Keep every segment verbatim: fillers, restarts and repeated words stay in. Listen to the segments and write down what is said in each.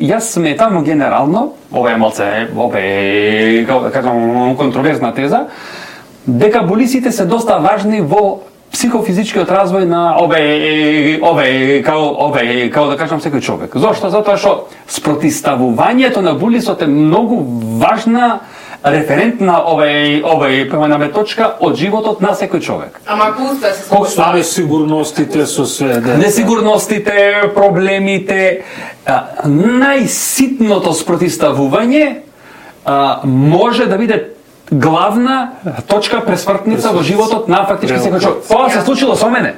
јас сметам генерално, ова е малце, ова е, како да кажам, контроверзна теза, дека болиците се доста важни во психофизичкиот развој на ове ове као ове као да кажам секој човек. Зошто? Затоа што спротиставувањето на булисот е многу важна референтна овај овај поминаме точка од животот на секој човек. Ама ако успее се Колку стави сигурностите со све, да. Несигурностите, проблемите, а, најситното спротиставување а, може да биде главна точка пресвртница во животот на фактички секој човек. Тоа се случило со мене.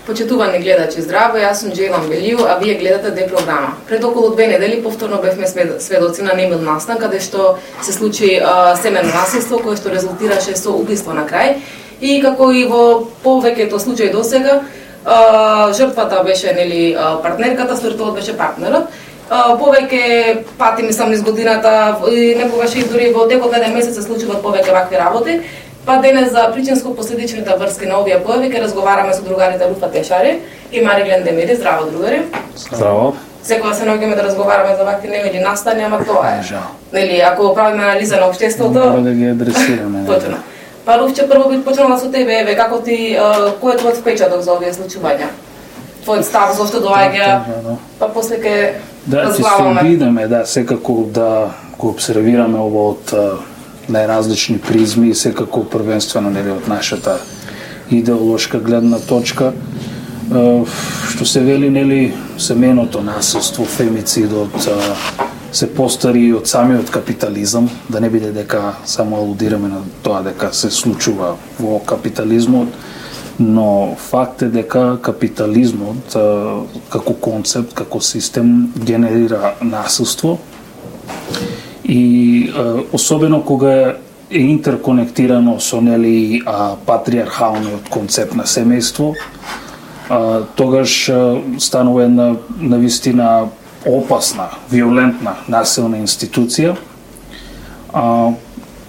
Почитувани гледачи, здраво, јас сум Джейлан Белију, а вие гледате Д програма. Пред околу две недели повторно бевме сведоци на немил настан, каде што се случи а, семено насилство, кое што резултираше со убиство на крај. И како и во повеќето случаи досега, а, жртвата беше нели партнерката, свртот беше партнерот. А, повеќе пати, мислам, низ годината, и некогаш и дури во текот на еден месец се случуваат повеќе вакви работи. Па денес за причинско-последичните врски на овие појави ќе разговараме со другарите Руфа Тешари и Мариглен Демири. Здраво, другари. Здраво. Секогаш се наоѓаме да разговараме за вакви немили настани, ама тоа е. Нели, ако правиме анализа на општеството, мора да ги адресираме. Точно. Па Руфче, прво би почнала со тебе, еве, како ти, кој е твојот впечаток за овие случувања? Твојот став, зошто доаѓа? Па после ќе да, разглаваме. Да, ќе се обидеме, да, секако да го обсервираме ово од најразлични призми и секако првенствено нели од нашата идеолошка гледна точка. Што се вели нели семеното насилство, фемицидот се постари од самиот капитализам, да не биде дека само алудираме на тоа дека се случува во капитализмот, но факт е дека капитализмот како концепт, како систем генерира насилство. И особено кога е интерконектирано со нели патриархалниот концепт на семејство, тогаш станува една навистина опасна, виолентна, насилна институција.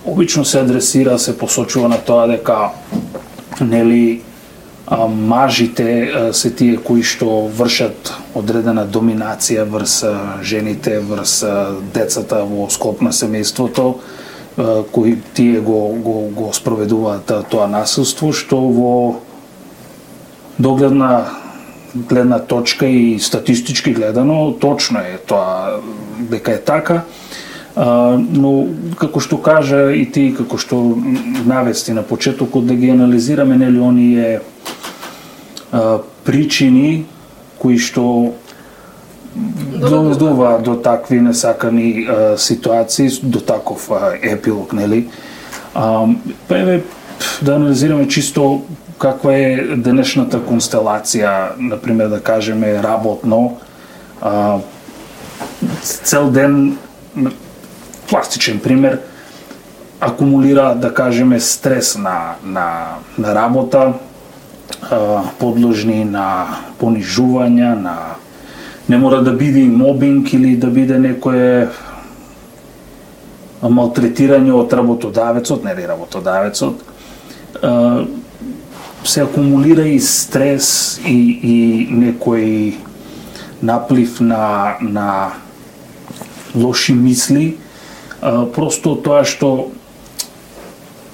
Обично се адресира, се посочува на тоа дека нели мажите се тие кои што вршат одредена доминација врз жените, врз децата во склоп на семејството, кои тие го, го, го спроведуваат тоа насилство, што во догледна гледна точка и статистички гледано точно е тоа дека е така, но како што кажа и ти, како што навести на почетокот, да ги анализираме нели оние причини кои што доведуваат до такви несакани а, ситуации, до таков а, епилог, нели? А, па еве да анализираме чисто каква е денешната констелација, например да кажеме работно, а, цел ден, пластичен пример, акумулира да кажеме стрес на на на работа, подложни на понижувања, на не мора да биде мобинг или да биде некое малтретирање од работодавецот, нели работодавецот. Се акумулира и стрес и, и некој наплив на, на лоши мисли, просто тоа што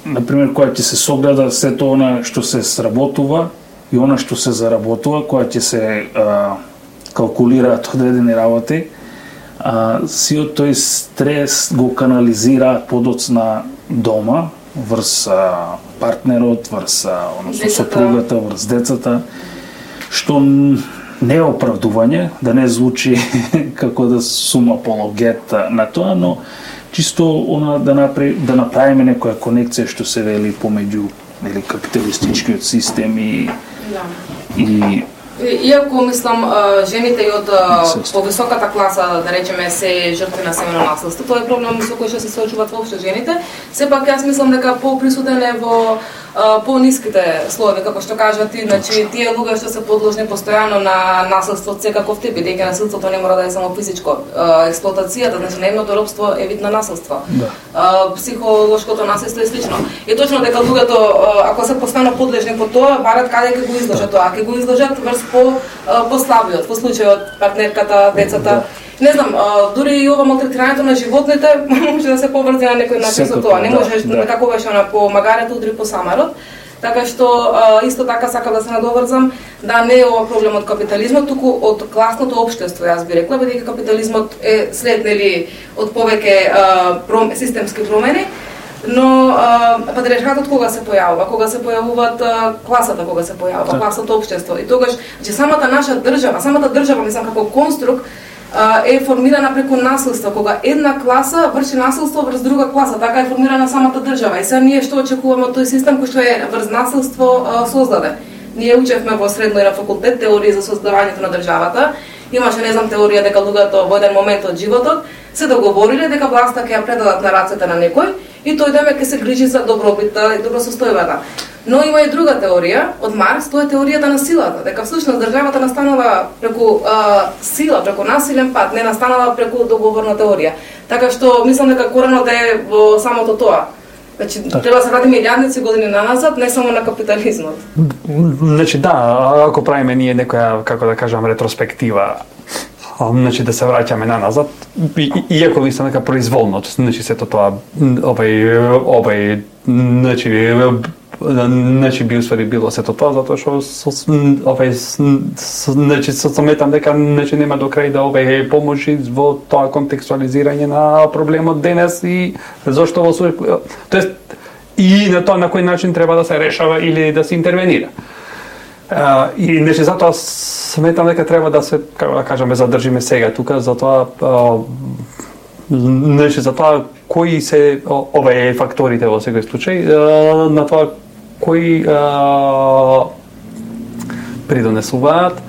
например, која ќе се согледа сето она што се сработува и она што се заработува, која ќе се а, калкулираат одредени работи, а, сиот тој стрес го канализираат подоцна дома, врз а, партнерот, врз односно сопругата, врз децата, што не е оправдување, да не звучи како да сум апологет на тоа, но чисто она да направи да направиме некоја конекција што се вели помеѓу нели капиталистичкиот систем и да. и Иако мислам жените и од повисоката класа, да речеме, се жртви на семено насилство, тоа е проблем со кој што се соочуваат воопшто жените. Сепак јас мислам дека поприсутен е во пониските слоеви, како што кажа ти, значи тие луѓе што се подложни постојано на насилство од секаков тип, бидејќи насилството не мора да е само физичко. Експлоатацијата, значи наемното робство е вид на насилство. Да. Психолошкото насилство е слично. И точно дека луѓето ако се постојано подлежни по тоа, барат каде ќе го изложат тоа, ќе го изложат врз по послабиот, по случајот партнерката, децата. Да. Не знам, дури и ова малтретирањето на животните може да се поврзе на некој начин за тоа. Не можеш да некакуваш она по магарето, удри по самарот. Така што исто така сакам да се надоврзам да не е ова проблем од капитализмот, туку од класното општество, јас би рекла, бидејќи капитализмот е след нели од повеќе системски промени. Но патриархатот кога се појавува, кога се појавуваат класата, кога се појавува класното општество. И тогаш, че самата наша држава, самата држава, мислам како конструкт, е формирана преку насилство, кога една класа врши насилство врз друга класа, така е формирана самата држава. И сега ние што очекуваме од тој систем кој што е врз насилство создаде. Ние учевме во средно и на факултет теорија за создавањето на државата. Имаше, не знам, теорија дека луѓето во еден момент од животот се договориле дека власта ќе ја предадат на рацете на некој и тој деме ќе се грижи за добробитта и добросостојбата. Но има и друга теорија од Маркс, тоа е теоријата на силата, дека всушност државата настанала преку а, сила, преку насилен пат, не настанала преку договорна теорија. Така што мислам дека коренот е во самото тоа. Значи, так. Треба да се вратиме илјадници години наназад, не само на капитализмот. Значи, да, ако правиме ние некоја, како да кажам, ретроспектива, значи да се враќаме наназад, и, иако мислам дека произволно, значи сето тоа, овај, овај, значи, значи би усвари било сето тоа, затоа што овај, значи, сометам дека значи нема до крај да овај поможи во тоа контекстуализирање на проблемот денес и зошто во тоест и на тоа на кој начин треба да се решава или да се интервенира. Uh, и значи затоа сметам дека треба да се, како да кажеме, задржиме сега тука, затоа uh, значи затоа кои се овие факторите во секој случај, uh, на тоа кои uh, придонесуваат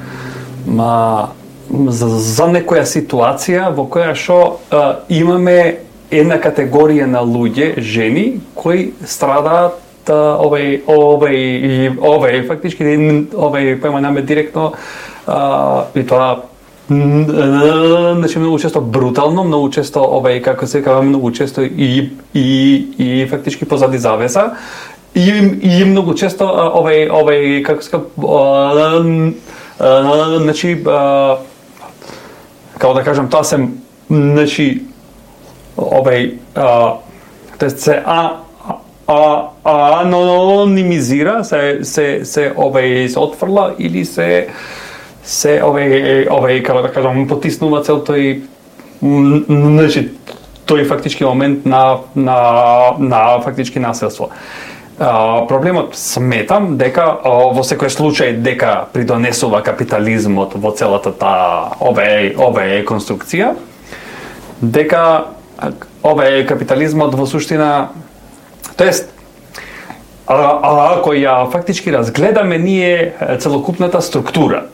ма, за, за некоја ситуација во која што uh, имаме една категорија на луѓе, жени, кои страдаат овај овај овај фактички овај појмаме директно а, и тоа значи многу често брутално, многу често овај како се кажа многу често и и и фактички позади завеса и и многу често овај овај како се значи како да кажам тоа се значи овај тоест се а а анонимизира, се се се овај се отфрла или се се овај овај како да кажам потиснува цел тој значи тој фактички момент на на на фактички насилство. А, проблемот сметам дека во секој случај дека придонесува капитализмот во целата таа овај овај конструкција, дека овај капитализмот во суштина тоест, а, а, ако ја фактички разгледаме ние целокупната структура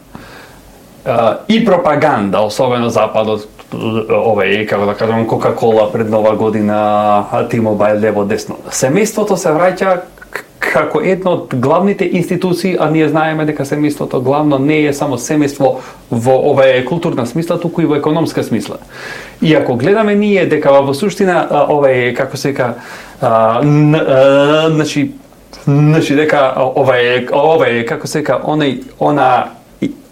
а, и пропаганда, особено Западот, овај, како да кажам, Кока-кола пред Нова година, T-Mobile лево десно. Семејството се враќа како една од главните институции, а ние знаеме дека семејството главно не е само семејство во овај културна смисла, туку и во економска смисла. И ако гледаме ние дека во суштина овај како се ка значи значи дека овај овај како се ка онај она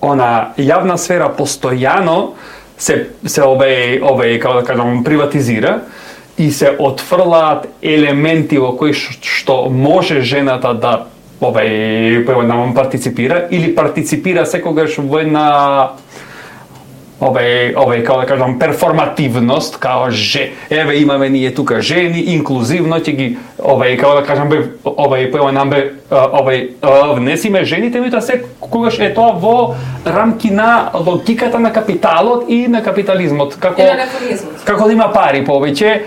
она јавна сфера постојано се се овај овај како да кажам приватизира и се отфрлаат елементи во кои што може жената да овај појавно партиципира или партиципира секогаш во една овај овај како да кажам перформативност, као же еве имаме ние тука жени инклузивно ќе ги овај како да кажам овај појавно овај внесиме жените, меѓутоа се когаш е тоа во рамки на логиката на капиталот и на капитализмот, како како да има пари повеќе,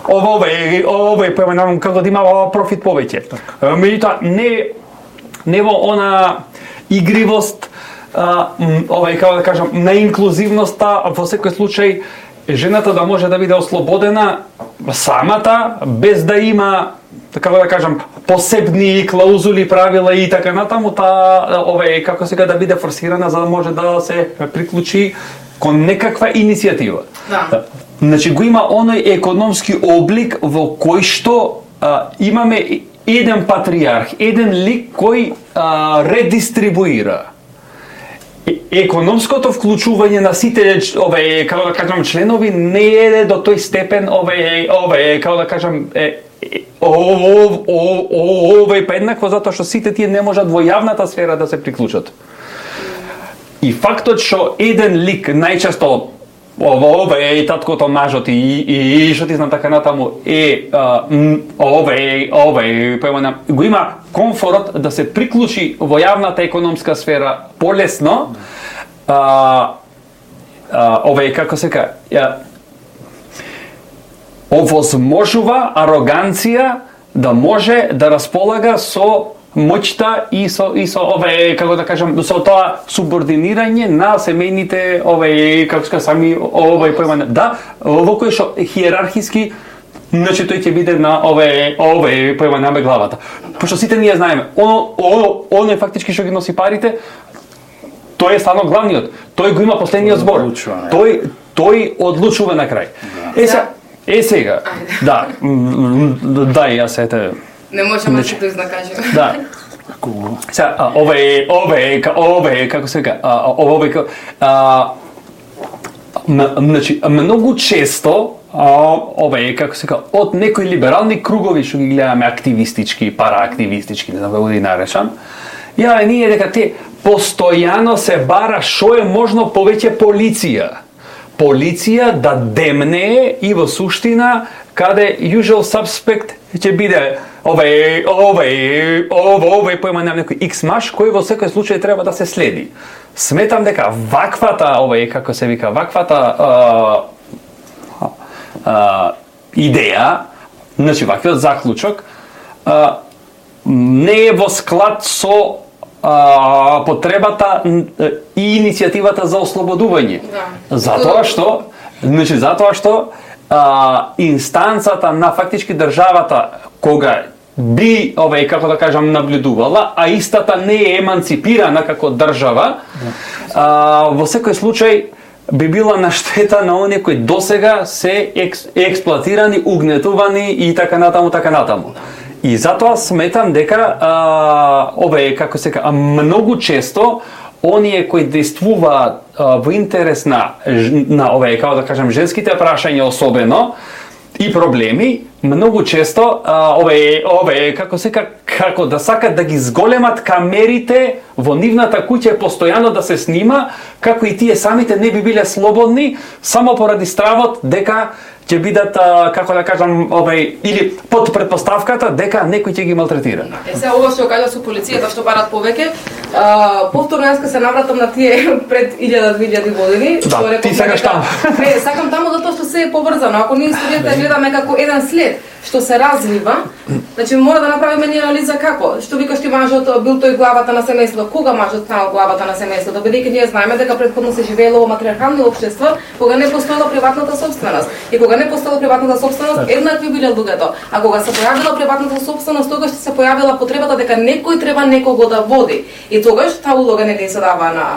овој овој појманам како да има профит повеќе. Меѓутоа не не во она игривост, овај како да кажам на инклузивноста, во секој случај жената да може да биде ослободена самата без да има така да кажам, посебни клаузули, правила и така натаму, та ове како сега да биде форсирана за да може да се приклучи кон некаква иницијатива. Да. Значи го има оној економски облик во кој што а, имаме еден патриарх, еден лик кој а, редистрибуира. Економското вклучување на сите ове, како да кажам, членови не е до тој степен ове, ове, како да кажам, е, овој па еднакво затоа што сите тие не можат во јавната сфера да се приклучат. И фактот што еден лик најчесто ове е таткото, мажот и и што ти знам така натаму е ове ове појмана го има комфорот да се приклучи во јавната економска сфера полесно. А, а, ове како се ка овозможува ароганција да може да располага со моќта и со и со ове како да кажам со тоа субординирање на семејните ове како ска сами овој појма да во кој што хиерархиски значи тој ќе биде на ове ове појма на главата. Пошто сите ние знаеме оно оно е фактички што ги носи парите. Тој е стварно главниот. Тој го има последниот збор. Тој тој одлучува на крај. Е сега Е сега, да, да, јас ете... Не можеме да се тоа изнакажеме. Да. Сега, ове, ове, ове, како се вика, ове, значи, многу често, ове, како се вика, од некои либерални кругови што ги гледаме активистички, параактивистички, не знам како да ги наречам, ја ние дека те постојано се бара што е можно повеќе полиција. Полиција да демне и во суштина каде usual suspect ќе биде овој овој овој појма на некој X маш кој во секој случај треба да се следи. Сметам дека ваквата овој како се вика ваквата а, а, идеја, значи ваквиот заклучок а, не е во склад со А, потребата и иницијативата за ослободување. Да. Затоа што, значи затоа што а, инстанцата на фактички државата кога би овој како да кажам наблюдувала, а истата не е еманципирана како држава, да. а, во секој случај би била на штета на оние кои досега се екс, експлоатирани, угнетувани и така натаму, така натаму. И затоа сметам дека а, ове како се ка многу често оние кои действуваат во интерес на на ове како да кажам женските прашања особено и проблеми многу често а, ове ове како се ка како да сакат да ги зголемат камерите во нивната куќа постојано да се снима како и тие самите не би биле слободни само поради стравот дека ќе бидат, како да кажам, овај, или под претпоставката дека некој ќе ги малтретира. Е, сега ова што кажа со полицијата што барат повеќе, а, повторно јас се навратам на тие пред илјада-две илјади години. Да, ти сакаш таму. Не, сакам таму затоа што се е поврзано. Ако ние историјата гледаме како еден след што се развива, значи мора да направиме ние анализа како. Што викаш ти мажот бил тој главата на семејството, кога мажот станал главата на семејството, бидејќи ние знаеме дека претходно се живеело во матриархални општества, кога не постоела приватната собственост. И кога не постоела приватната собственост, еднакви биле луѓето. А кога се појавила приватната собственост, тогаш се појавила потребата дека некој треба некого да води. И тогаш таа улога не се дава на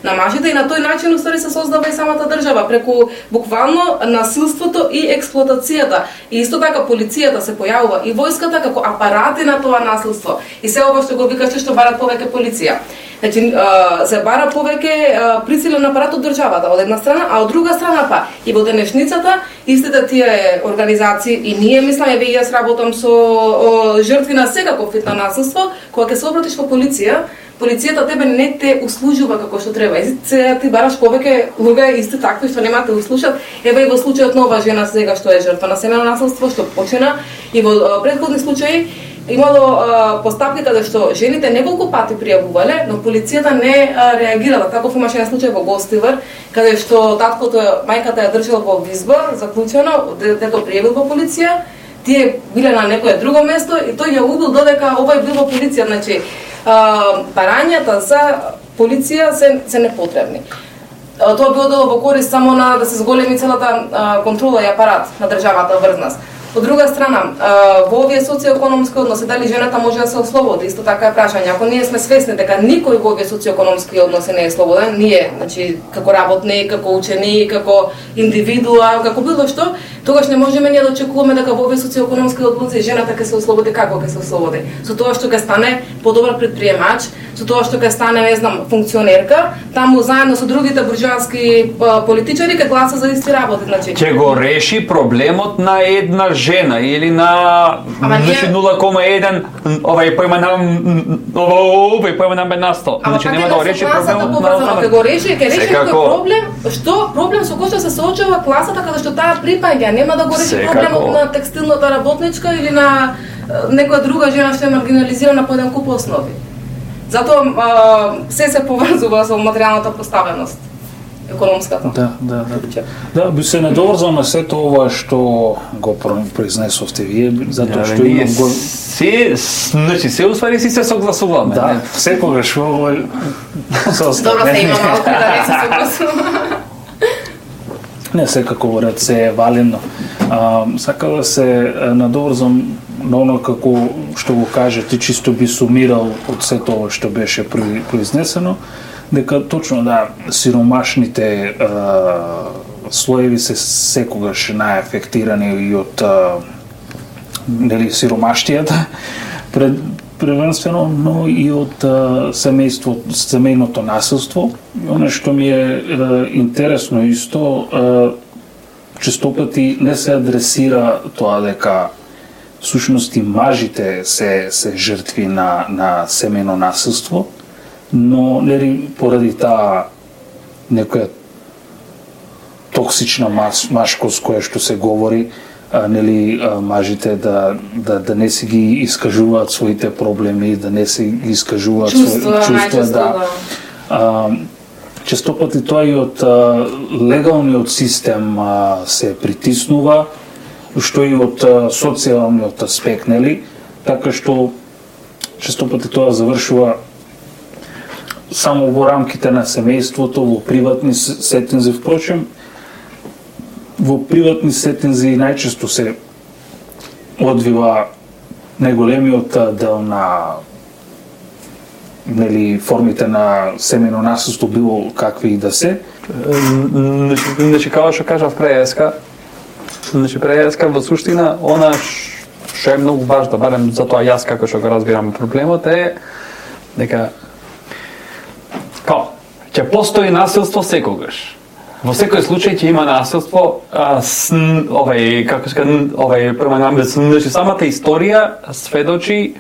на мажите и на тој начин уствари се создава и самата држава преку буквално насилството и експлоатацијата. И исто така полицијата се појавува и војската како апарати на тоа насилство. И се ова што го викаше што барат повеќе полиција. Значи се бара повеќе присилен апарат од државата од една страна, а од друга страна па и во денешницата истите тие организации и ние мисламе ве јас работам со о, жртви на секаков вид на насилство, кога ќе се обратиш во полиција, полицијата тебе не те услужува како што треба. И сега ти бараш повеќе луѓе исти такви што нема те услушат. Еве и во случајот на оваа жена сега што е жртва на семејно насилство, што почина и во претходни случаи имало а, постапки каде што жените неколку пати пријавувале, но полицијата не а, реагирала. Таков имаше еден случај во Гостивар, каде што таткото, мајката ја држала во визба, заклучено, дето пријавил во полиција, тие биле на некое друго место и тој ја убил додека овој бил во полиција. Значи, а, барањата за полиција се, се непотребни. А, тоа било дело во корист само на да се зголеми целата а, контрола и апарат на државата врз нас. Од друга страна, во овие социоекономски односи дали жената може да се ослободи, исто така е прашање. Ако ние сме свесни дека никој во овие социоекономски односи не е слободен, ние, значи како работник, како ученик, како индивидуа, како било што, тогаш не можеме ние да очекуваме дека во овие социоекономски односи жената ќе се ослободи. Како ќе се ослободи? Со тоа што ќе стане подобар претприемач, со тоа што ќе стане, не знам, функционерка, таму заедно со другите буржоаски политичари ќе гласа за исти работи, значи. Ќе го реши проблемот на една жена или на значи нула кома еден овај појма на овај појма на беднаство. Значи нема да го реши проблемот на ќе го реши, ќе реши кој проблем, што проблем со кој што се соочува класата каде што таа припаѓа, нема да го реши проблемот на текстилната работничка или на некоја друга жена што е маргинализирана по еден куп основи. Затоа се се поврзува со материјалната поставеност. Економската. Да, да, да. Да, би се надоврзал на сето ова што го произнесовте вие, затоа што имам го се, значи се уствари си се согласуваме. Да, секогаш во Добро се има малку да не се согласуваме. Не, секако во ред се е валено. А, сака да се надоврзам на оно како што го кажа ти, чисто би сумирал од сето ова што беше произнесено, дека точно да сиромашните е, слоеви се секогаш најафектирани и од е, нели сиромаштијата пред првенствено, но и од семејство, семејното насилство. Оно што ми е, е интересно исто, е, честопати не се адресира тоа дека всушност и мажите се се жртви на на семејно насилство, но нели поради таа некоја токсична мас, машкост која што се говори, а, нели а, мажите да, да да не си ги искажуваат своите проблеми, да не си ги искажуваат чувства, своите чувства, да. А, често пати тоа и од а, легалниот систем а, се притиснува, што и од а, социјалниот аспект, нели? Така што често пати тоа завршува само во рамките на семејството, во приватни сетинзи, впрочем, во приватни сетинзи најчесто се одвива најголемиот дел на нели формите на семејно насилство, било какви и да се. Значи, како што кажав преска, значи преска во суштина, она што е многу важно, барем затоа јас како што го разбирам проблемот е дека Као, ќе постои насилство секогаш. Во секој случај ќе има насилство, а, с, овај, како се кажа, овај, према значи самата историја сведочи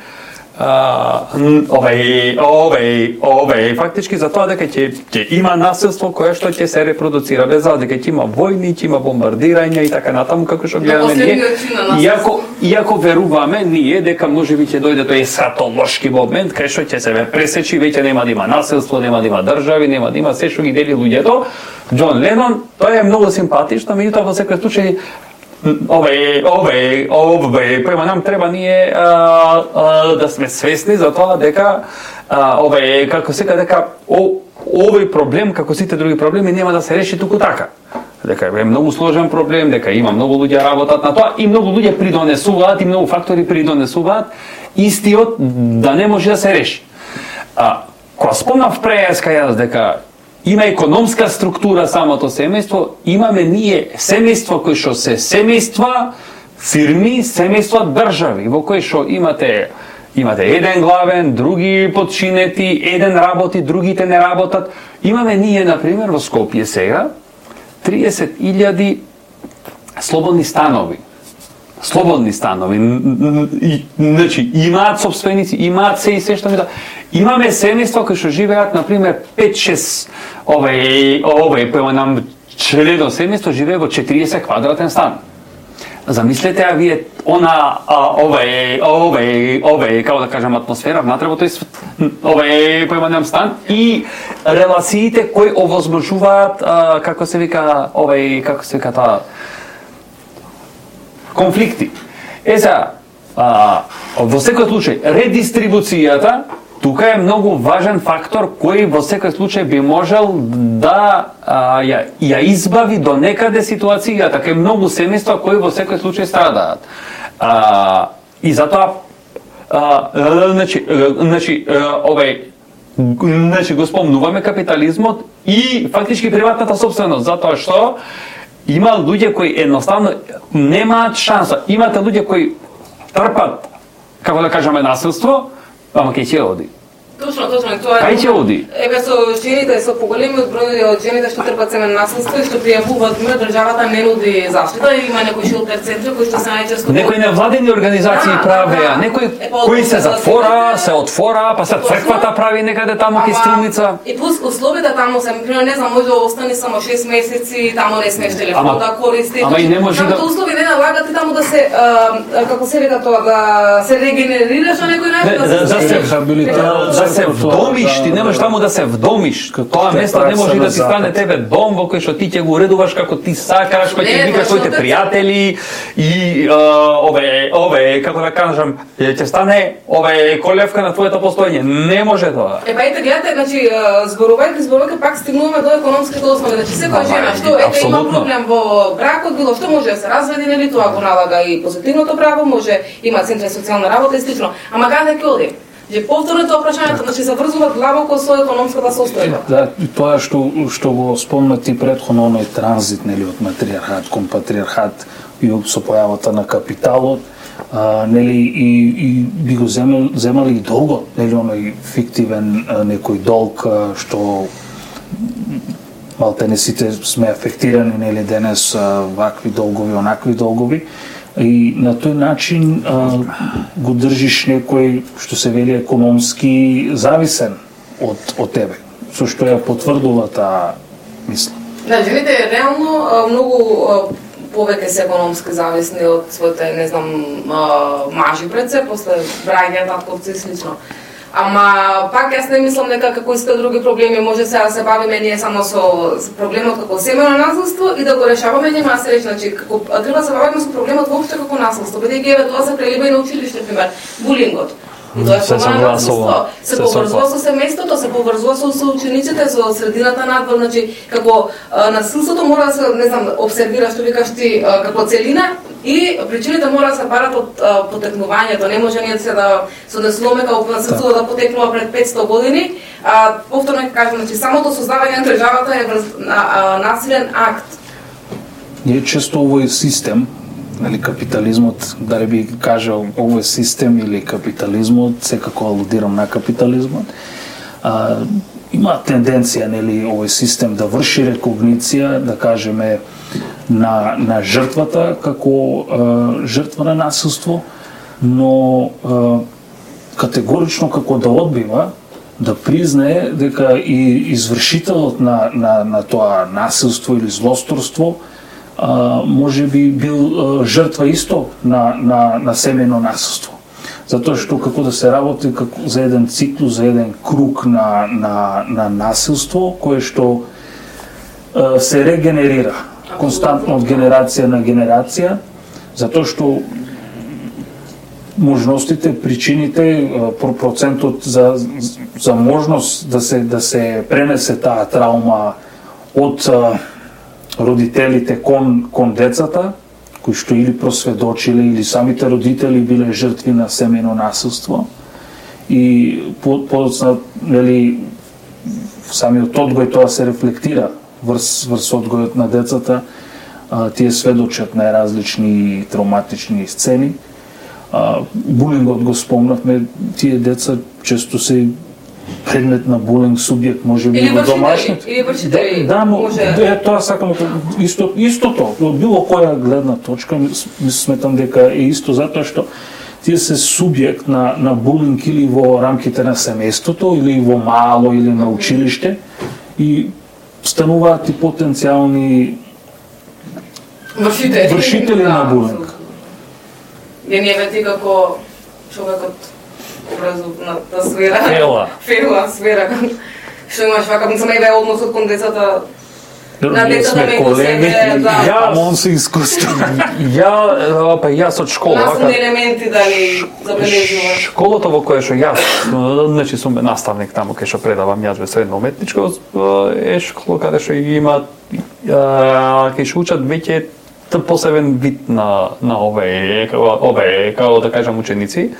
а, овај, овај, овај, фактички за тоа дека ќе ќе има насилство кое што ќе се репродуцира, без дека ќе има војни, ќе има бомбардирања и така натаму, како што гледаме ние. Иако иако веруваме ние дека можеби ќе дојде тој есхатолошки момент кај што ќе се пресечи, веќе нема да има насилство, нема да има држави, нема да има се што ги дели луѓето. Џон Ленон, тоа е многу симпатично, меѓутоа во секој случај овај, овај, овај, према нам треба ние а, а, да сме свесни за тоа дека а, овај, како сека дека о, овој проблем, како сите други проблеми, нема да се реши туку така. Дека е многу сложен проблем, дека има многу луѓе работат на тоа и многу луѓе придонесуваат и многу фактори придонесуваат истиот да не може да се реши. А, кога спомнав преска јас дека има економска структура самото семејство, имаме ние семејство кои што се семејства, фирми, семејства држави, во кои што имате имате еден главен, други подчинети, еден работи, другите не работат. Имаме ние, например, во Скопје сега триесет илјади слободни станови. Слободни станови. Значи, имаат собственици, имаат се и се што ми да. Имаме семејства кои што живеат, например, пет-шест овај, овај, поема нам члено семејство живее во четириесет квадратен стан. Замислете, а вие она овај, овај, овај, како да кажам, атмосфера внатре во тој овај, поема нам стан и релациите кои овозможуваат, а, како се вика, овај, како се вика таа, конфликти. Е за, а, во секој случај, редистрибуцијата тука е многу важен фактор кој во секој случај би можел да а, ја, ја избави до некаде ситуацијата, кај многу семејства кои во секој случај страдаат. А, и затоа а, значи, значи овај значи го спомнуваме капитализмот и фактички приватната собственост, затоа што има луѓе кои едноставно немаат шанса. Имате луѓе кои трпат, како да кажеме, насилство, ама кај ќе оди? Точно, точно, тоа е. Кај ќе оди? Еве со жените, со поголемиот број од жените што трпат семејно насилство и што пријавуваат мир, државата не нуди заштита, има некои шелтер центри кои што се најчесто некои невладени организации правеа, некои кои се затвора, се отвора, па се црквата прави некаде таму кај Струмица. И плюс условията таму се, примерно, не знам, може да остане само шест месеци, таму не смееш телефон да користиш. Ама и не може да услови не налагат и таму да се како се вика тоа, да се регенерираш на некој начин, да се рехабилитираш, да се вдомиш, ти немаш таму да се вдомиш. Тоа место не може да ти стане тебе дом во кој што ти ќе го уредуваш како ти сакаш, кој ќе викаш своите пријатели и ове ове како да кажам, ќе стане ове колевка на твоето постоење. Не може тоа. Е па ете гледате, значи зборувајќи зборувајќи пак стигнуваме до економските основи. Значи секоја жена што ете има проблем во бракот, било што може да се разведе, нели тоа го налага и позитивното право, може има центри за социјална работа и слично. Ама каде ќе оди? Ја повторно тоа прашањето, значи заврзуваат длабоко со економската состојба. Да, тоа што што го спомна ти претходно, оној транзит, нели, од матриархат кон патриархат и со појавата на капиталот, а, нели, и, и би го земали, земали и долгот, нели, оној фиктивен а, некој долг а, што малтене сите сме афектирани, нели, денес а, вакви долгови, онакви долгови. И на тој начин а, го држиш некој, што се вели, економски зависен од, од тебе, со што ја потврдува таа мисла. Да, жените реално многу повеќе се економски зависни од своите, не знам, мажи пред се, после браѓа, татковци и слично. Ама пак јас не мислам дека како исто други проблеми може сега да се бавиме ние само со проблемот како семејно насилство и да го решаваме, нема се речи, значи како треба да се бавиме со проблемот воопшто како насилство, бидејќи еве тоа се прелива и на училиште, пример, булингот. И тоа е форма на насилство. Се поврзува со семејството, се поврзува со соучениците, со средината надвор, значи како насилството мора да се, не знам, обсервира, што викаш ти, како целина и причините мора да се барат од потекнувањето. Не може ние да се однесуваме како насилство да потекнува пред петсто години. А повторно ќе кажам, значи самото создавање на државата е насилен акт. Ние често овој систем, нали, капитализмот, дали би кажал овој систем или капитализмот, секако алудирам на капитализмот, а, има тенденција, нели, овој систем да врши рекогниција, да кажеме, на, на жртвата како а, жртва на насилство, но а, категорично како да одбива да признае дека и извршителот на, на, на тоа насилство или злосторство а, може би бил а, жртва исто на, на, на семејно насилство. Затоа што како да се работи како за еден циклус, за еден круг на, на, на насилство, кое што а, се регенерира константно од генерација на генерација, затоа што можностите, причините, процентот за за можност да се да се пренесе таа траума од родителите кон кон децата, кои што или просведочиле или самите родители биле жртви на семејно насилство и подоцна, нели, самиот одгој тоа се рефлектира врз врз одгојот на децата, а, тие сведочат најразлични травматични сцени. А, булингот го спомнавме, тие деца често се предмет на булинг, субјект, може би во домашните. Или вршители. Да, но е, тоа сакам исто истото, од било која гледна точка, сметам дека е исто затоа што тие се субјект на на булинг или во рамките на семејството, или во мало, или на училиште и стануваат и потенцијални вршители, вршители на булинг. Ја не вети како човекот образовната сфера. Фела. Фела сфера. Што имаш вака, не сме односот кон децата. на Ние децата сме ме колеми, да. ама он се искуство. Ја, па јас од школа, Наставни елементи дали забележуваш? школата во која што јас, значи сум наставник таму кај што предавам јас во средно уметничко, е школа каде што има кај што учат веќе посебен вид на на овие овие како да кажам ученици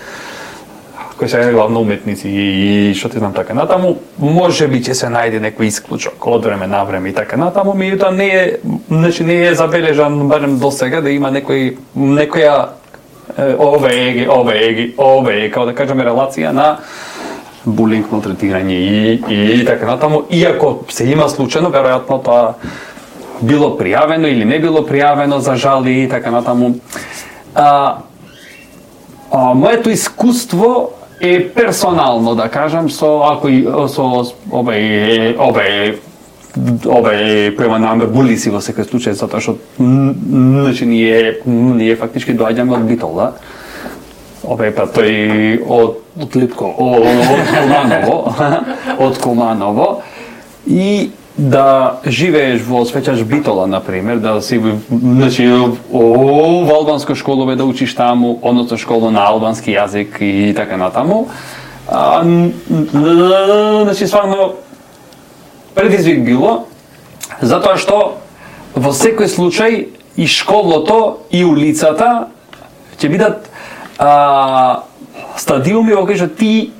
кои се главно уметници и што ти знам така натаму, може би ќе се најде некој исклучок од време на време и така натаму, меѓутоа не е, значи не е забележан барем до сега да има некој некоја овие овие овие како да кажеме релација на булинг, малтретирање и и така натаму, иако се има случајно, веројатно тоа било пријавено или не било пријавено за жали и така натаму. А, а моето искуство е персонално, да кажам, со ако и со овој овој овој према на булиси во секој случај, затоа што значи ние ние фактички доаѓаме од Битола. Овој па тој од Од Липко. од Куманово, од Куманово и да живееш во Свеќаш Битола, например, да си, значи, во албанско школове да учиш таму, односно школа на албански јазик и така натаму. А, значи, стварно, предизвик било, затоа што во секој случај и школото и улицата ќе бидат а, стадиуми во кои што ти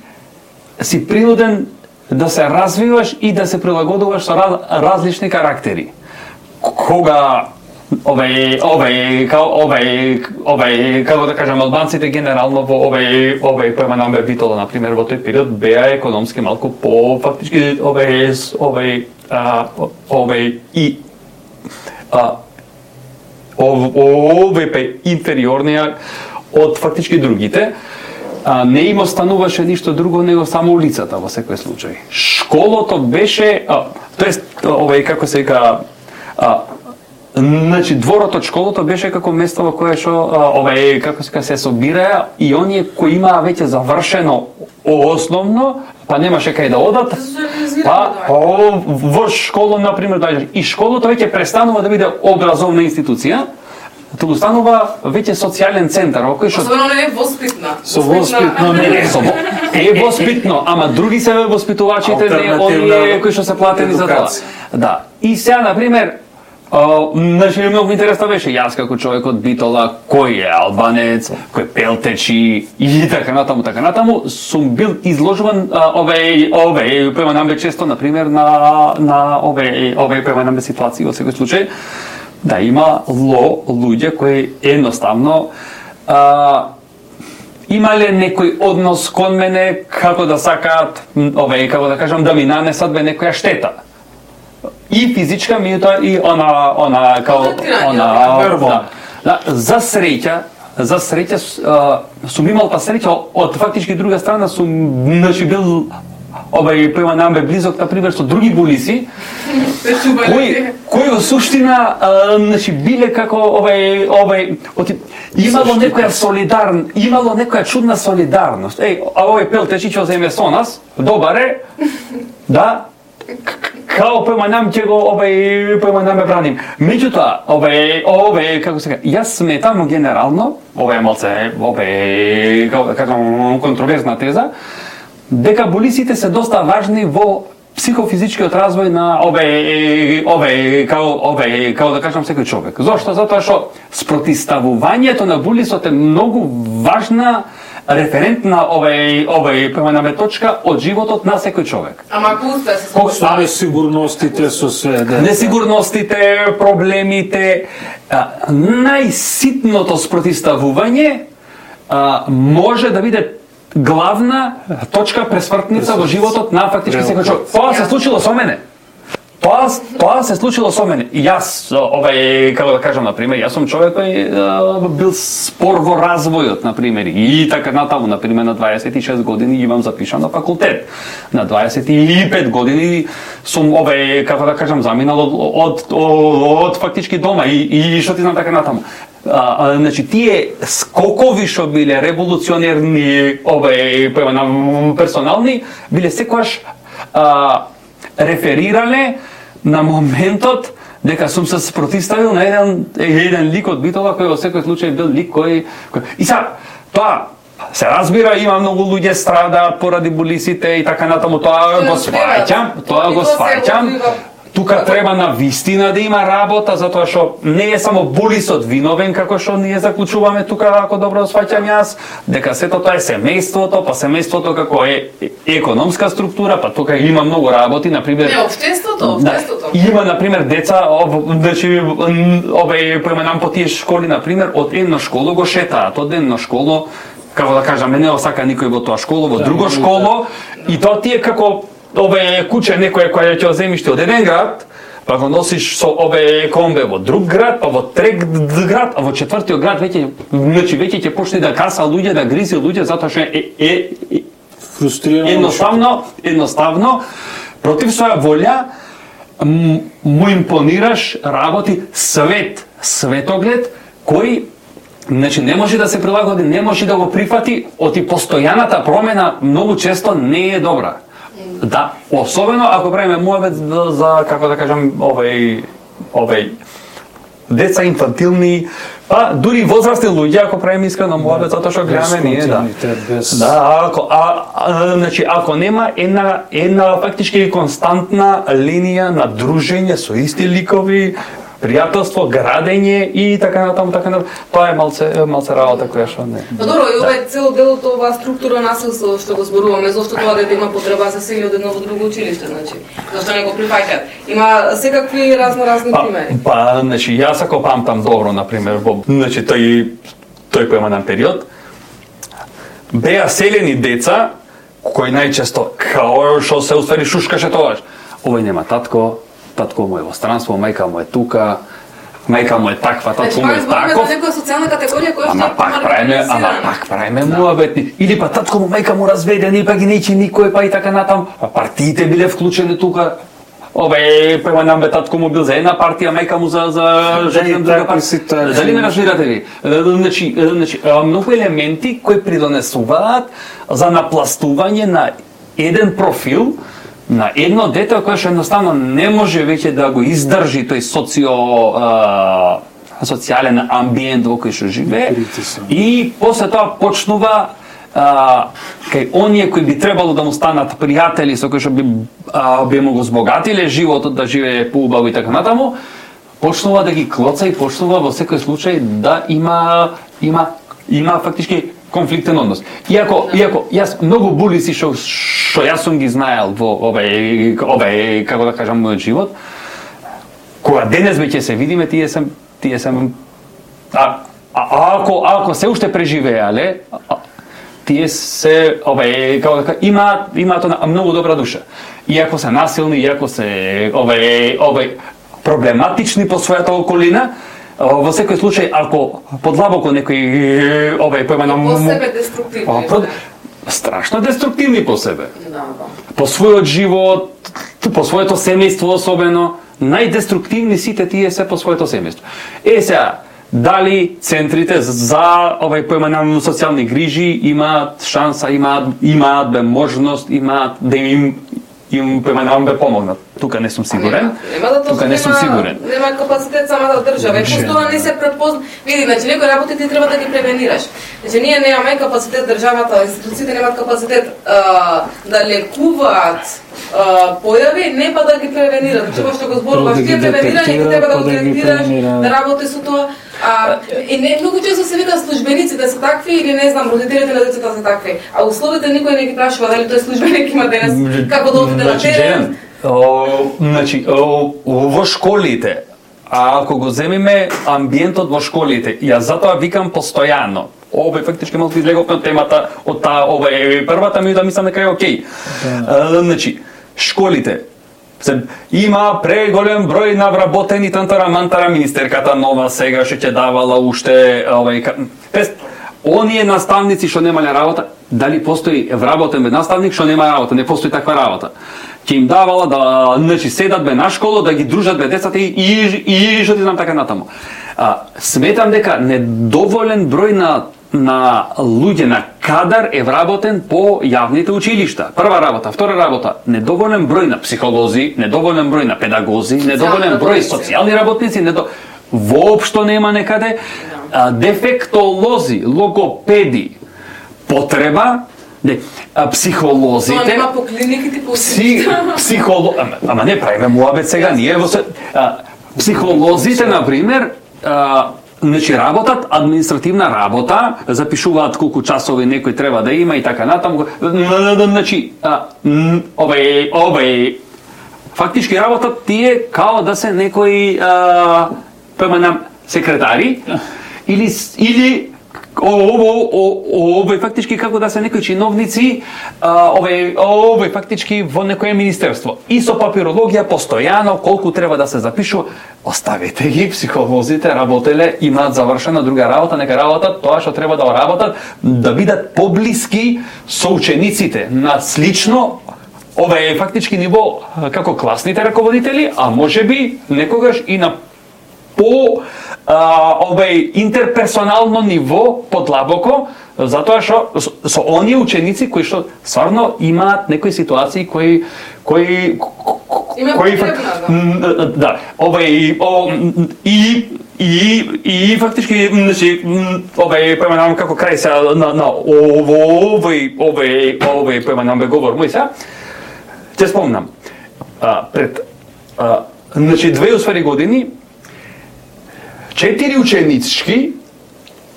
си принуден да се развиваш и да се прилагодуваш со раз, различни карактери. Кога овај овај као овај овај како да кажам албанците генерално во овај овај поема на Битола на пример во тој период беа економски малку по фактички овај овај а, овај и а овај инфериорнија од фактички другите. А, не им остануваше ништо друго него само улицата во секој случај. Школото беше, а, тоест овај како се вика, а, значи дворот од школото беше како место во кое што овај како се се собираја и оние кои имаа веќе завршено основно, па немаше кај да одат. Па о, во школа на пример доаѓаш и школото веќе престанува да биде образовна институција. Туку станува веќе социјален центар, во кој што Особено не е воспитна. Со воспитно не е. Со е воспитно, ама други се воспитувачите не оние кои што се платени за тоа. Да. И сега на пример, значи многу интересно беше јас како човек од Битола, кој е албанец, кој пелтечи и така натаму, така натаму, сум бил изложуван овај овај према намбе често на пример на на овај овај према намбе ситуации во секој случај. Да, има ло, луѓе кои едноставно а, имале некој однос кон мене како да сакаат, овај, како да кажам, да ми нанесат бе некоја штета. И физичка, меѓутоа и она, она, као, она, да, да, за среќа, за среќа, сум имал па среќа, од фактички друга страна сум, значи, бил овај према намбе близок, на пример, со други булиси, кои, кои во суштина, а, значи, биле како овај, овај, оти, имало некоја солидарн, имало некоја чудна солидарност. Еј, а овој пелтечи ќе земе со нас, добар е, да, као према нам ќе го овај према нам ме браним. Меѓутоа, овај, овај, како се кажа, јас сметам генерално, овај малце, овај, како да кажам, контроверзна теза, дека булисите се доста важни во психофизичкиот развој на ове ове како ове како да кажам секој човек. Зошто? Затоа што спротивставувањето на булисот е многу важна референтна овај овај према точка од животот на секој човек. Ама ако успе се Колку се несигурностите со све, да. Несигурностите, проблемите, а, најситното спротивставување а, може да биде главна точка пресвртница во животот на фактички секој човек. Тоа се случило со мене. Тоа тоа се случило со мене. И јас овај како да кажам на пример, јас сум човек кој бил спор во развојот на пример и така натаму на пример на дваесет и шест години имам запишан на факултет. На дваесет и пет години сум овај како да кажам заминал од од, од, од фактички дома и и што ти знам така натаму. А, а, значи тие скокови што биле револуционерни овај персонални биле секогаш а, реферирале на моментот дека сум се спротивставил на еден еден лик од Битола кој во секој случај бил лик кој, кој... и са тоа се разбира, има многу луѓе страдаат поради болисите и така натаму, тоа го сваќам, тоа го сваќам. Тука треба на вистина да има работа, затоа што не е само болисот виновен, како што ние заклучуваме тука, ако добро сваќам јас, дека сето тоа е семејството, па семејството како е економска структура, па тука има многу работи, например... Не, општеството, општеството. Има, например, деца, значи, ове, поименам по тие школи, например, од едно школо го шетаат, од едно школо, како да кажаме, не осака никој во тоа школо, во друго школо, и тоа ти е како ове куче некој кој ќе земиш од еден град, па го носиш со ове комбе во друг град, па во трет град, а во четвртиот град веќе, значи веќе ќе почне да каса луѓе, да гризи луѓе затоа што е, е, е фрустрирано. Едноставно, едноставно против своја волја му импонираш работи свет, светоглед кој значи не може да се прилагоди, не може да го прифати, оти постојаната промена многу често не е добра. Да, особено ако правиме муавет за, за како да кажам, овој овој деца инфантилни, па дури возрастни луѓе ако правиме искрено муавет, затоа што гледаме ние, да. Без... Да, ако а, а, значи ако нема една една фактички константна линија на дружење со исти ликови, пријателство, градење и така натаму, така натаму. Тоа е малце малце работа која што не. Па добро, и ова е цело делото оваа структура насилство што го зборуваме, зошто тоа дете има потреба за сели од едно во друго училиште, значи. Зошто не го прифаќаат? Има секакви разноразни па, примери. Па, значи јас ако памтам добро, например, во значи тој тој поеманен период беа селени деца кои најчесто као што се уствари шушкаше тоа. Овој нема татко, татко му е во странство, мајка му е тука, мајка му е таква, татко му е таков. Значи, некоја социјална категорија која ама пак правиме, ама пак правиме муабетни. Или па татко му, мајка му разведен, или па ги нејчи никој, па и така натам. Па партиите биле вклучени тука. Ове, према нам бе татко му бил за една партија, мајка му за за жена друга партија. Дали ме разбирате ви? Значи, значи многу елементи кои придонесуваат за напластување на еден профил на едно дете кое што едноставно не може веќе да го издржи тој социо а, социјален амбиент во кој што живее и после тоа почнува а, кај оние кои би требало да му станат пријатели со кои што би а, би му го збогатиле животот да живее поубаво и така натаму, почнува да ги клоца и почнува во секој случај да има има има фактички конфликтен однос. Иако, иако јас многу булиси што што јас сум ги знаел во овој овој како да кажам мојот живот, кога денес веќе се видиме, тие се тие се а, а ако ако се уште преживеале, тие се овој како да кажам, имаат имаат многу добра душа. Иако се насилни, иако се овој овој проблематични по својата околина, во секој случај ако подлабоко некој овој поименам по себе деструктивни. По, страшно деструктивни по себе. Да, да. По својот живот, по своето семејство особено, најдеструктивни сите тие се по своето семејство. Е сега, дали центрите за овој поименам социјални грижи имаат шанса, имаат имаат бе можност, имаат да им им поименам бе помогнат. Тука не сум сигурен. Нема да Тука не сум сигурен. Нема капацитет самата држава. И постојано не се препозна. Види, значи некои работи ти треба да ги превенираш. Значи ние немаме капацитет, државата, институциите немаат капацитет а, да лекуваат а, појави, не па да ги превенират. Значи што го зборуваш, ти превенирање, ти треба да го директираш, да работи со тоа. А, и не многу често се вика службениците се такви или не знам, родителите на децата се такви. А условите никој не ги прашува дали тој службеник има денес како да отиде на терен. Значи, во школите, а ако го земиме амбиентот во школите, јас затоа викам постојано. Овој фактички малку излеговме од темата, од таа овој првата ми да мислам дека е окей. Да. Значи, школите има преголем број на вработени тантара мантара, министерката нова сега што ќе давала уште овој оние наставници што немале работа, дали постои вработен бе наставник што нема работа, не постои таква работа. Ќе им давала да значи седат бе на школа, да ги дружат бе децата и и, и што ти знам така натаму. А, сметам дека недоволен број на на луѓе, на кадар е вработен по јавните училишта. Прва работа, втора работа, недоволен број на психолози, недоволен број на педагози, недоволен број социјални работници, недо... воопшто нема некаде, а, дефектолози, логопеди, потреба, не, а, психолозите... Тоа нема по клиниките, по пси, психоло... Ама, ама не правиме муабет сега, ние во се... А, психолозите, например, а, значи работат административна работа, запишуваат колку часови некој треба да има и така натаму. Значи, овај, овај, фактички работат тие као да се некои а, преманам секретари или или овој фактички како да се некои чиновници, овој овој фактички во некое министерство. И со папирологија постојано колку треба да се запишува. Оставете ги, психолозите работеле, имаат завршена друга работа, нека работат тоа што треба да работат, да бидат поблиски со учениците, на слично овој фактички ниво како класните раководители, а можеби некогаш и на по а, овој интерперсонално ниво подлабоко, затоа што со, со оние ученици кои што стварно имаат некои ситуации кои кои кои да, да овој о, и и и фактички значи овој поменам како крај се на на овој овој овој поменам бе говор мој се ќе спомнам а, пред а, значи две усвари години четири ученички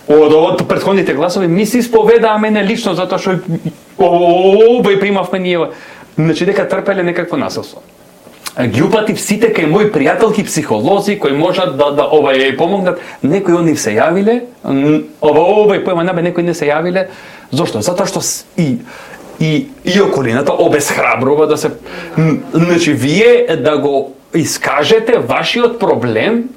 од од претходните класови ми се исповедаа мене лично затоа што овој примавме ние, значи дека трпеле некакво насилство. Ги упатив сите кај мои пријателки психолози кои можат да да овај помогнат, некои од нив се јавиле, овој поема набе некои не се јавиле. Зошто? Затоа што и и и околината обесхрабрува да се, значи вие да го искажете вашиот проблем,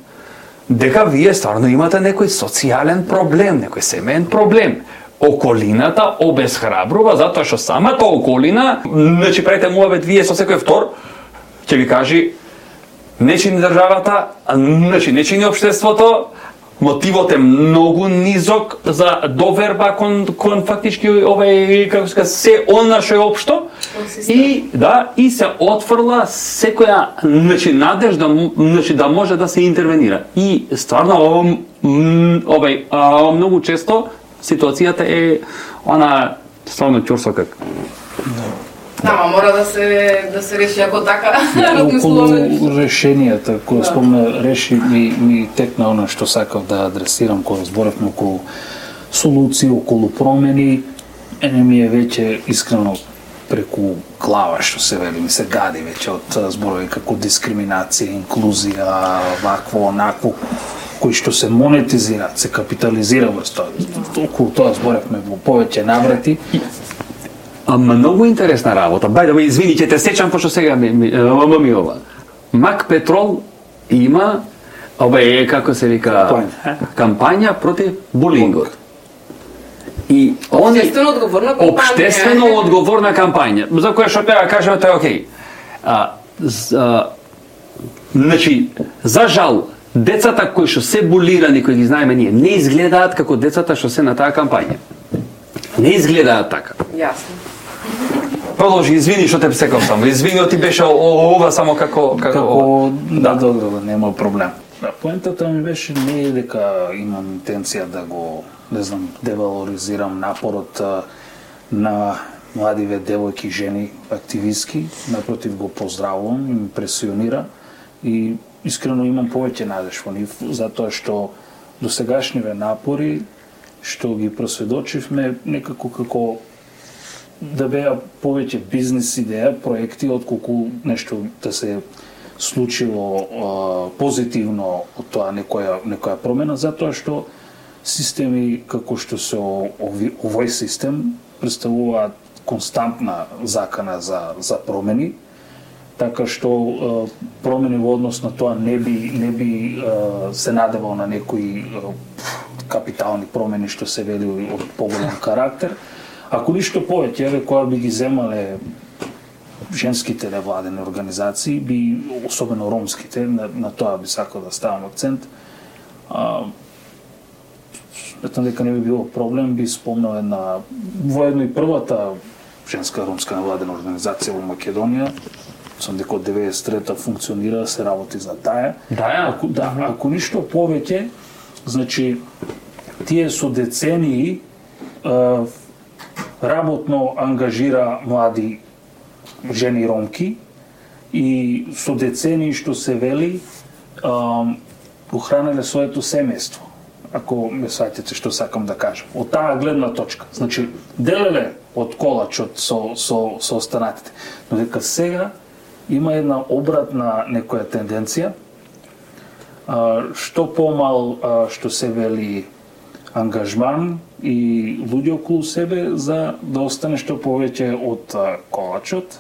дека вие стварно имате некој социјален проблем, некој семеен проблем. Околината обесхрабрува затоа што самата околина, значи правите муабет вие со секој втор, ќе ви кажи не чини државата, значи не чини општеството, мотивот е многу низок за доверба кон кон фактички овај како се кажа се она што е општо и да и се отфрла секоја значи надежда значи да може да се интервенира. И стварно овај многу често ситуацијата е она стварно ќорсо как. Да, ма мора да се да се реши ако така размислуваме. Околу решенијата, кога спомна реши ми ми текна она што сакав да адресирам кога зборевме околу солуции, околу промени, ене ми е веќе искрено преку глава што се вели, ми се гади веќе од зборови како дискриминација, инклузија, вакво, онакво, кои што се монетизираат, се капитализира врз тоа. Околу тоа зборевме во повеќе наврати. А многу интересна работа. Бај да ме извини, ќе те сечам пошто сега ми ми, ми ова. Мак Петрол има овај како се вика кампања, кампања против булингот. И они Обштествено одговорна кампања. Обштествено одговорна кампања, за која што треба кажеме тоа е окей. А, за, значи, за жал, децата кои што се булирани, кои ги знаеме ние, не изгледаат како децата што се на таа кампања. Не изгледаат така. Јасно. Продолжи, извини што те секав само. Извини, ти беше ова само како како, како да, добро, нема проблем. Да, поентата ми беше не е дека имам интенција да го, не знам, девалоризирам напорот на младиве девојки и жени активистки, напротив го поздравувам, им импресионира и искрено имам повеќе надеж во нив, затоа што досегашниве напори што ги просведочивме некако како да беа повеќе бизнес идеја, проекти, отколку нешто да се случило а, позитивно од тоа некоја некоја промена, затоа што системи како што се ови, овој систем представуваат константна закана за за промени, така што а, промени во однос на тоа не би не би а, се надевал на некои а, капитални промени што се вели од поголем карактер. Ако ништо повеќе, еве кога би ги земале женските невладени организации, би особено ромските, на, на тоа би сакал да ставам акцент. А, сметам дека не би било проблем, би спомнал една воедно и првата женска ромска невладена организација во Македонија. Сам дека од деветдесет и трета функционира, се работи за таа. Да, ја. Ако, да, ако ништо повеќе, значи тие со децении е, работно ангажира млади жени ромки и со децении што се вели ухранеле своето семејство. Ако ме сваќате што сакам да кажам. Од таа гледна точка. Значи, делеле од колачот со, со, со останатите. Но дека сега има една обратна некоја тенденција, а, што помал, а, што се вели ангажман и луѓе околу себе за да остане што повеќе од а, колачот,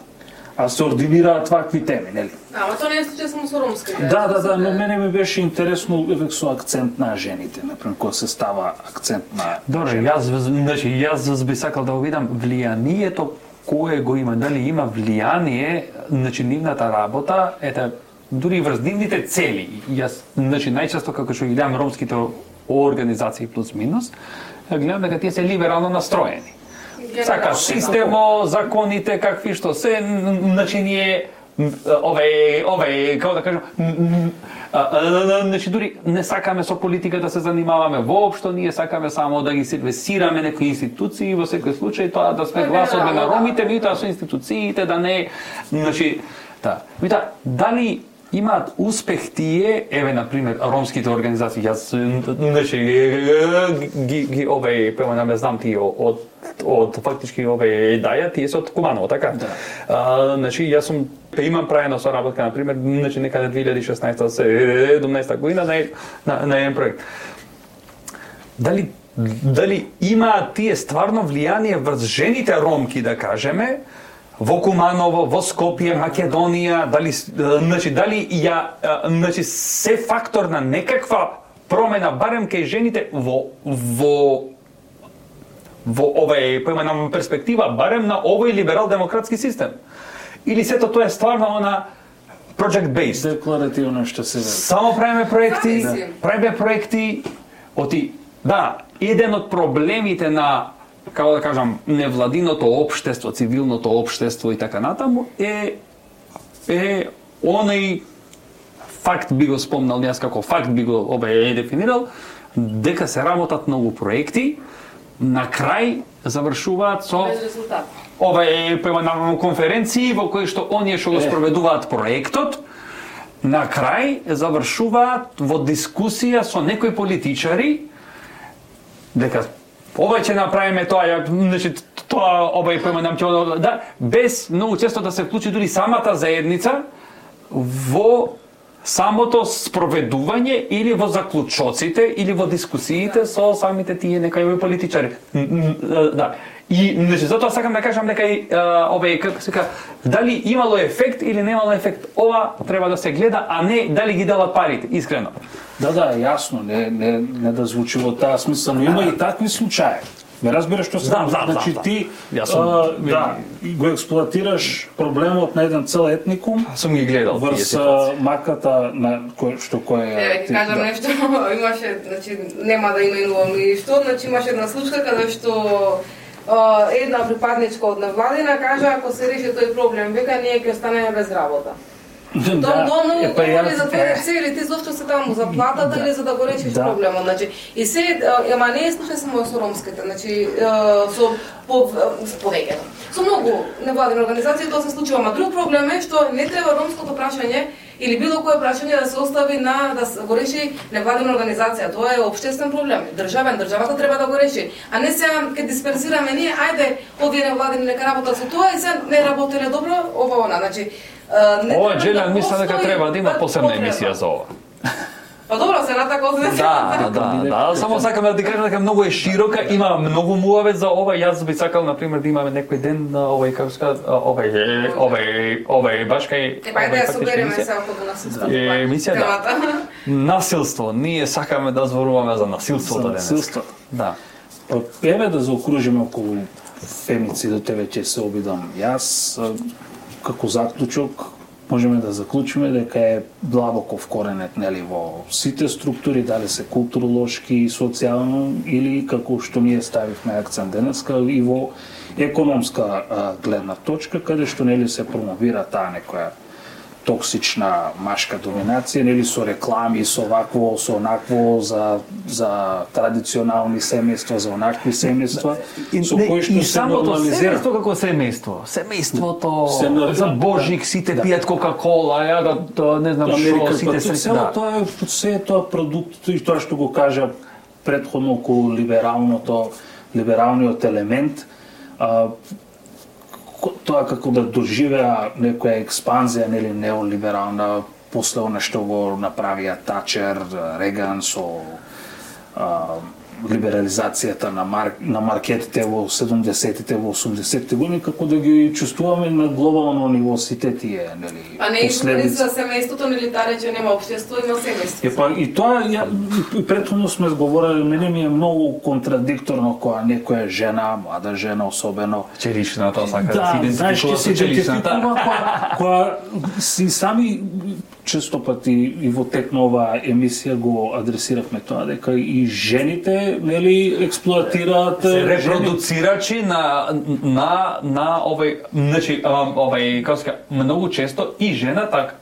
а се ординираат вакви теми, нели? Ама тоа не е случај само со ромските. Да, да, да, но мене ми беше интересно еве со акцент на жените, например, кога се става акцент на Добре, јас значи јас би сакал да го видам влијанието кое го има, дали има влијание, значи нивната работа, ете дури врз нивните цели. Јас значи најчесто како што ги гледам ромските организации плюс минус, гледам дека тие се либерално настроени. Сака системо, законите, какви што се, значи ние ове, ове, како да кажам, значи дури не сакаме со политика да се занимаваме воопшто, ние сакаме само да ги сервисираме некои институции, во секој случај тоа да сме гласот на ромите, меѓутоа со институциите да не, значи, да. Меѓутоа, дали имаат успех тие, еве на пример ромските организации, јас значи ги ги ове пема не знам тие од од фактички ове даја, тие се од Куманово, така? Да. А, значи јас сум имам праено соработка на пример, значи некаде две илјади и шеснаесета седумнаесета година на на, на еден проект. Дали дали имаат тие стварно влијание врз жените ромки, да кажеме, во Куманово, во Скопје, Македонија, дали значи дали ја значи се фактор на некаква промена барем кај жените во во во овај поимена перспектива барем на овој либерал-демократски систем. Или сето тоа е стварно она project based. Декларативно што се вели. Само правиме проекти, Да. правиме проекти оти да, еден од проблемите на како да кажам, невладиното општество, цивилното општество и така натаму е е оној факт би го спомнал јас како факт би го обе е дефинирал дека се работат многу проекти, на крај завршуваат со Без резултат. ова е на конференции во кои што оние што го спроведуваат проектот на крај завршуваат во дискусија со некои политичари дека ова ќе направиме тоа, ја, значи тоа ова е поема нам ќе да без многу често да се вклучи дури самата заедница во самото спроведување или во заклучоците или во дискусиите со самите тие некои политичари. Да. И значи затоа сакам да кажам дека и ове како се кажа дали имало ефект или немало ефект, ова треба да се гледа, а не дали ги делат парите, искрено. Да, да, јасно, не, не, не да звучи во таа смисла, но има и такви случаи. Ме разбираш што се Знам, знам, значи знам, ти Јас сум, а, да, го експлоатираш проблемот на еден цел етникум Сум ги гледал тие врз ситуации. а, маката на кој што кој е. Еве ќе кажам нешто, имаше, значи нема да именувам и што, значи имаше една случка каде што а, една припадничка од невладина кажа ако се реши тој проблем, века ние ќе останеме без работа. Тоа Да, тоа многу е, па ја- говори за твоите цели, ти зошто се таму за платата или за да го решиш Да. проблемот, значи и се ама не е случај само со ромските, значи е, со по с повеќето. Со многу невладини организации тоа се случува, ама друг проблем е што не треба ромското прашање или било кое прашање да се остави на да се го реши невладина организација. Тоа е општествен проблем, државен, државата треба да го реши. А не сега ке дисперсираме ние, ајде овие невладини нека работат со тоа и сега не работеле добро, ова она, значи не Ова треба Джелиан да мисля дека постои треба да има посебна потреба. емисија за ова. Па добро, се на така овде. Да, да, да, само сакам да ти кажам дека многу е широка, има многу муавет за ова. Јас би сакал на пример да имаме некој ден на овој како се кажа, овој овој овој баш кај Е, па да ја фактички собереме емисија. се околу насилство. Е, емисија, да. Темата. Насилство, ние сакаме да зборуваме за насилството За денес. насилството. Да. Па, еве да заокружиме околу фемицидот, еве ќе се обидам јас а, како заклучок можеме да заклучиме дека е длабоко вкоренет, нели, во сите структури, дали се културолошки, социјално или како што ние ставивме акцент денеска и во економска а, гледна точка, каде што нели се промовира таа некоја токсична машка доминација, нели, со реклами, со вакво, со онакво, за, за традиционални семејства, за онакви семејства, и, со кои што и се нормализира. семејство како семејство. Семејството, се, за Божик, сите да. пијат Кока-кола, ја да, да не знам што, сите се... Цело да. Тоа е, се е тоа продукт, и тоа што го кажа предходно околу либералното, либералниот елемент, а, тоа како да доживеа некоја експанзија, нели, неолиберална, после она што го направија Тачер, Реган со а, либерализацијата на, мар, на маркетите во седумдесетите, во осумдесетите години, како да ги чувствуваме на глобално ниво сите тие, нели, а не последици за семејството, нели, та рече нема општество, има семејство. Е, па, и тоа, ја, и претходно сме зговорили, мене ми е многу контрадикторно кога некоја жена, млада жена особено, черична, тоа сака да, да се идентификува со черичната. Кога, кога си сами често пати и во тек на оваа емисија го адресиравме тоа, дека и жените, нели, експлоатираат се репродуцирачи на на на овој, значи овој, како се кажа, многу често и жената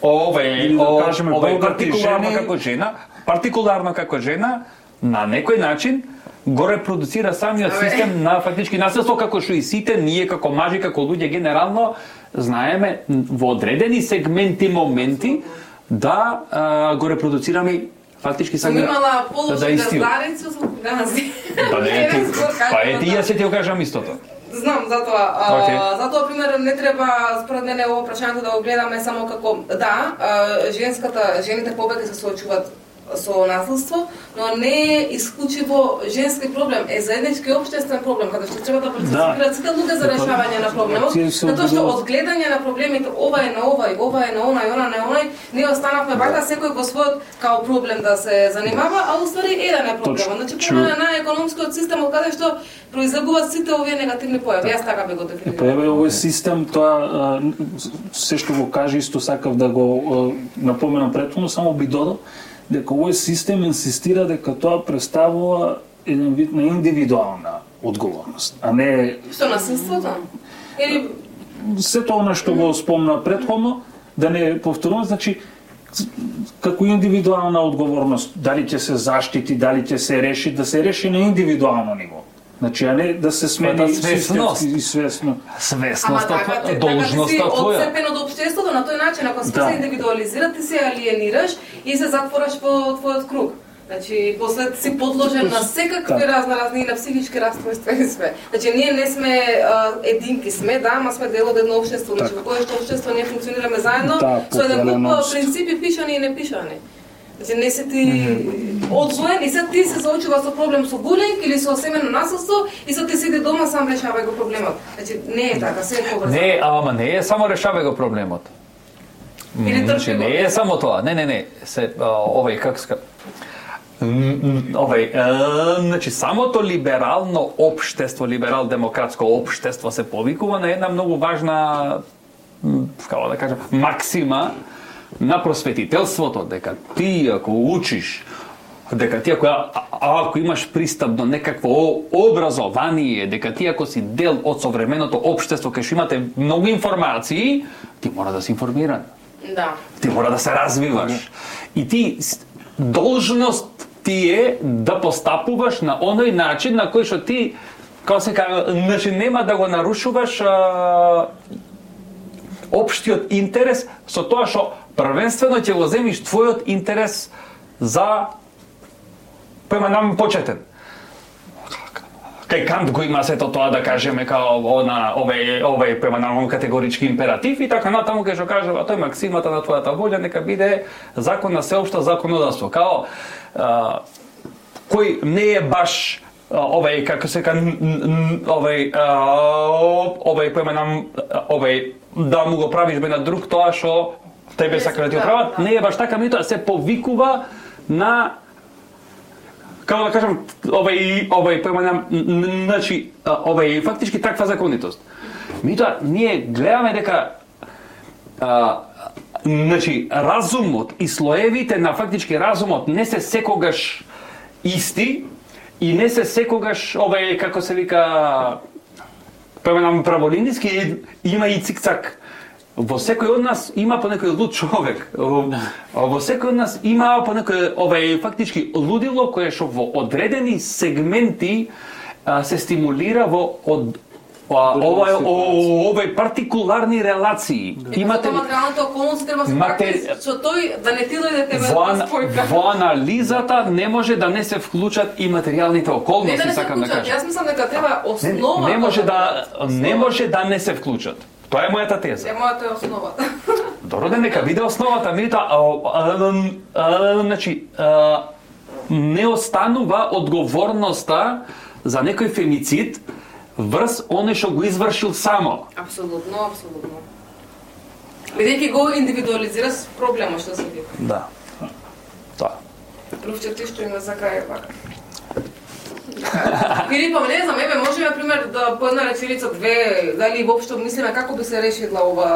овој, да кажеме, овој партикуларно жени... како жена, партикуларно како жена на некој начин го репродуцира самиот систем на фактички насилство, како што и сите ние како мажи, како луѓе генерално знаеме во одредени сегменти, моменти да а, го репродуцираме фактички сега имала положи да газдарицу со гази. Па не ти, па е ти ја се ти го кажам истото. Знам, затоа, okay. а, затоа пример не треба според мене ово прашањето да го гледаме само како да, а, женската, жените повеќе се соочуваат со насилство, но не е исклучиво женски проблем, е заеднички општествен проблем, каде што треба да парципираат сите луѓе за решавање на проблемот, затоа што од гледање на проблемите ова е на овај, ова е на онај, она на онај, ние останавме бака секој во својот као проблем да се занимава, а уствари еден е проблемот. Значи проблемот на економскиот систем од каде што произлегуваат сите овие негативни појави. Јас така би го дефинирав. Па еве овој систем, тоа се што го каже исто сакав да го напоменам претходно, само би додал дека овој систем инсистира дека тоа представува еден вид на индивидуална одговорност, а не што насилството или сето она што го спомна претходно, да не повторувам, значи како индивидуална одговорност, дали ќе се заштити, дали ќе се реши, да се реши на индивидуално ниво. Значи, а не да се смени свесност и свесно. Свесност, така, должноста така, твоја. Одцепен од општеството на тој начин, ако се да. индивидуализира, ти се алиенираш и се затвораш во твојот круг. Значи, после си подложен на секакви да. разноразни и на психички расстройства и све. Значи, ние не сме а, единки сме, да, ама сме дел од едно општество. Значи, во кое што општество ние функционираме заедно, да, со еден куп принципи пишани и непишани. Значи, не се ти mm-hmm. одвоен и се ти се соочува со проблем со булинг или со семено насилство и со ти седи дома сам решавај го проблемот. Значи, не е така, се е поврзано. Не, ама не е само решавај го проблемот. Или значи, не е само тоа. Не, не, не. Се овој как ска овој, значи самото либерално општество, либерал-демократско општество се повикува на една многу важна, како да кажам, максима на просветителството, дека ти ако учиш, дека ти ако, а, ако имаш пристап до некакво образование, дека ти ако си дел од современото општество, кај што имате многу информации, ти мора да си информиран. Да. Ти мора да се развиваш. И ти должност ти е да постапуваш на оној начин на кој што ти, како се кажа, значи нема да го нарушуваш а, општиот интерес со тоа што првенствено ќе го земиш твојот интерес за према нам почетен. Кај Кант го има сето тоа да кажеме као она овој овој према нам категорички императив и така натаму кај што кажува тој максимата на твојата волја нека биде закон на сеопшто законодавство. Као а, кој не е баш овој како се кажа овој овој према нам овој да му го правиш бе на друг тоа што тебе сака да ти оправат, не е баш така, меѓутоа се повикува на, како да кажам, овој овој појма, значи овој фактички таква законитост. Меѓутоа ние гледаме дека а, значи разумот и слоевите на фактички разумот не се секогаш исти и не се секогаш овај како се вика поменам праволинijski, има и цикцак. Во секој од нас има по некој луд човек. Во секој од нас има по некој овај фактички лудило кое што во одредени сегменти а, се стимулира во од овај овај партикуларни релации. Да. Имате материјалната околност треба се Матери... што тој да не ти дојде тебе да спојка. Во анализата не може да не се вклучат и материјалните околности, не да сакам да кажам. Јас мислам дека треба основа. Не, не може да не може да не се вклучат. Тоа е мојата теза. Е мојата е основата. Добро, да нека биде основата, меѓутоа, значи, не останува одговорноста за некој фемицид врз оне што го извршил само. Апсолутно, апсолутно. Бидејќи го индивидуализира проблемот што се вика. Да. Тоа. Првче ти што има за крај пак. Филипа, не знам, еве можеме на пример да по една реченица две, дали воопшто мислиме како би се решила ова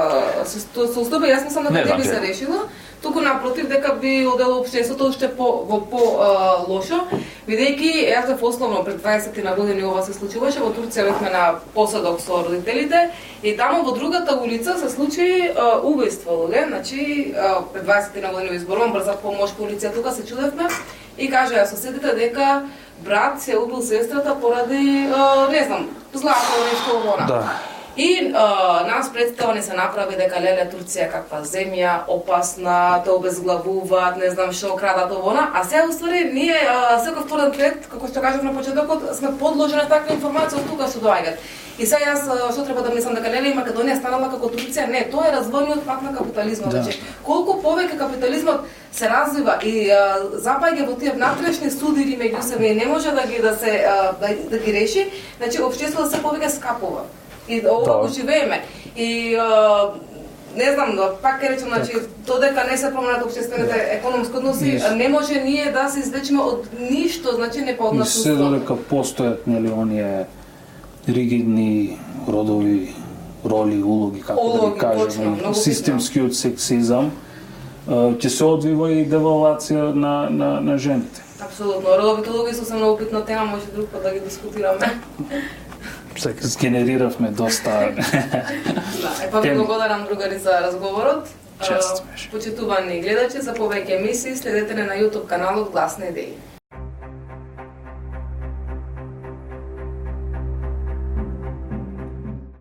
состојба, јас мислам дека не би се решила, туку напротив дека би одело општеството уште по во по а, лошо, бидејќи јас бев основно пред дваесет на години ова се случуваше, во Турција бевме на посадок со родителите и таму во другата улица се случи а, убиство, луѓе, значи а, пред дваесет на години изборувам брза помош полиција, тука се чудевме и кажаа соседите дека брат се убил сестрата поради, а, не знам, злато нешто вона. Да. И а, нас представа не се направи дека леле Турција каква земја, опасна, те обезглавуваат, не знам што, крадат овона, а сега уствари ние а, секој вторен трет, како што кажав на почетокот, сме подложени на таква информација од тука што доаѓаат. И сега јас што треба да мислам дека нели Македонија станала како Турција? Не, тоа е развојниот пат на капитализмот. Да. Колку повеќе капитализмот се развива и а, запаѓа во тие внатрешни судири меѓу себе и не може да ги да се а, да, да ги реши, значи општеството се повеќе скапува. И ова го живееме. И а, не знам, пак ќе речем, значи, додека не се променат општествените економски односи, не може ние да се излечиме од ништо, значи не па од нас. И се додека постојат нели оние ригидни родови, роли, улоги, како улоги, да ги кажеме, системскиот сексизам, ќе се одвива и девалвација на, на, на жените. Апсолутно. Родовите улоги се многу битна тема, може друг пат да ги дискутираме. Сгенерировме доста. Да, е па ви благодарам другари за разговорот. Чест беше. Почитувани гледачи, за повеќе емисии следете на YouTube каналот Гласни идеи.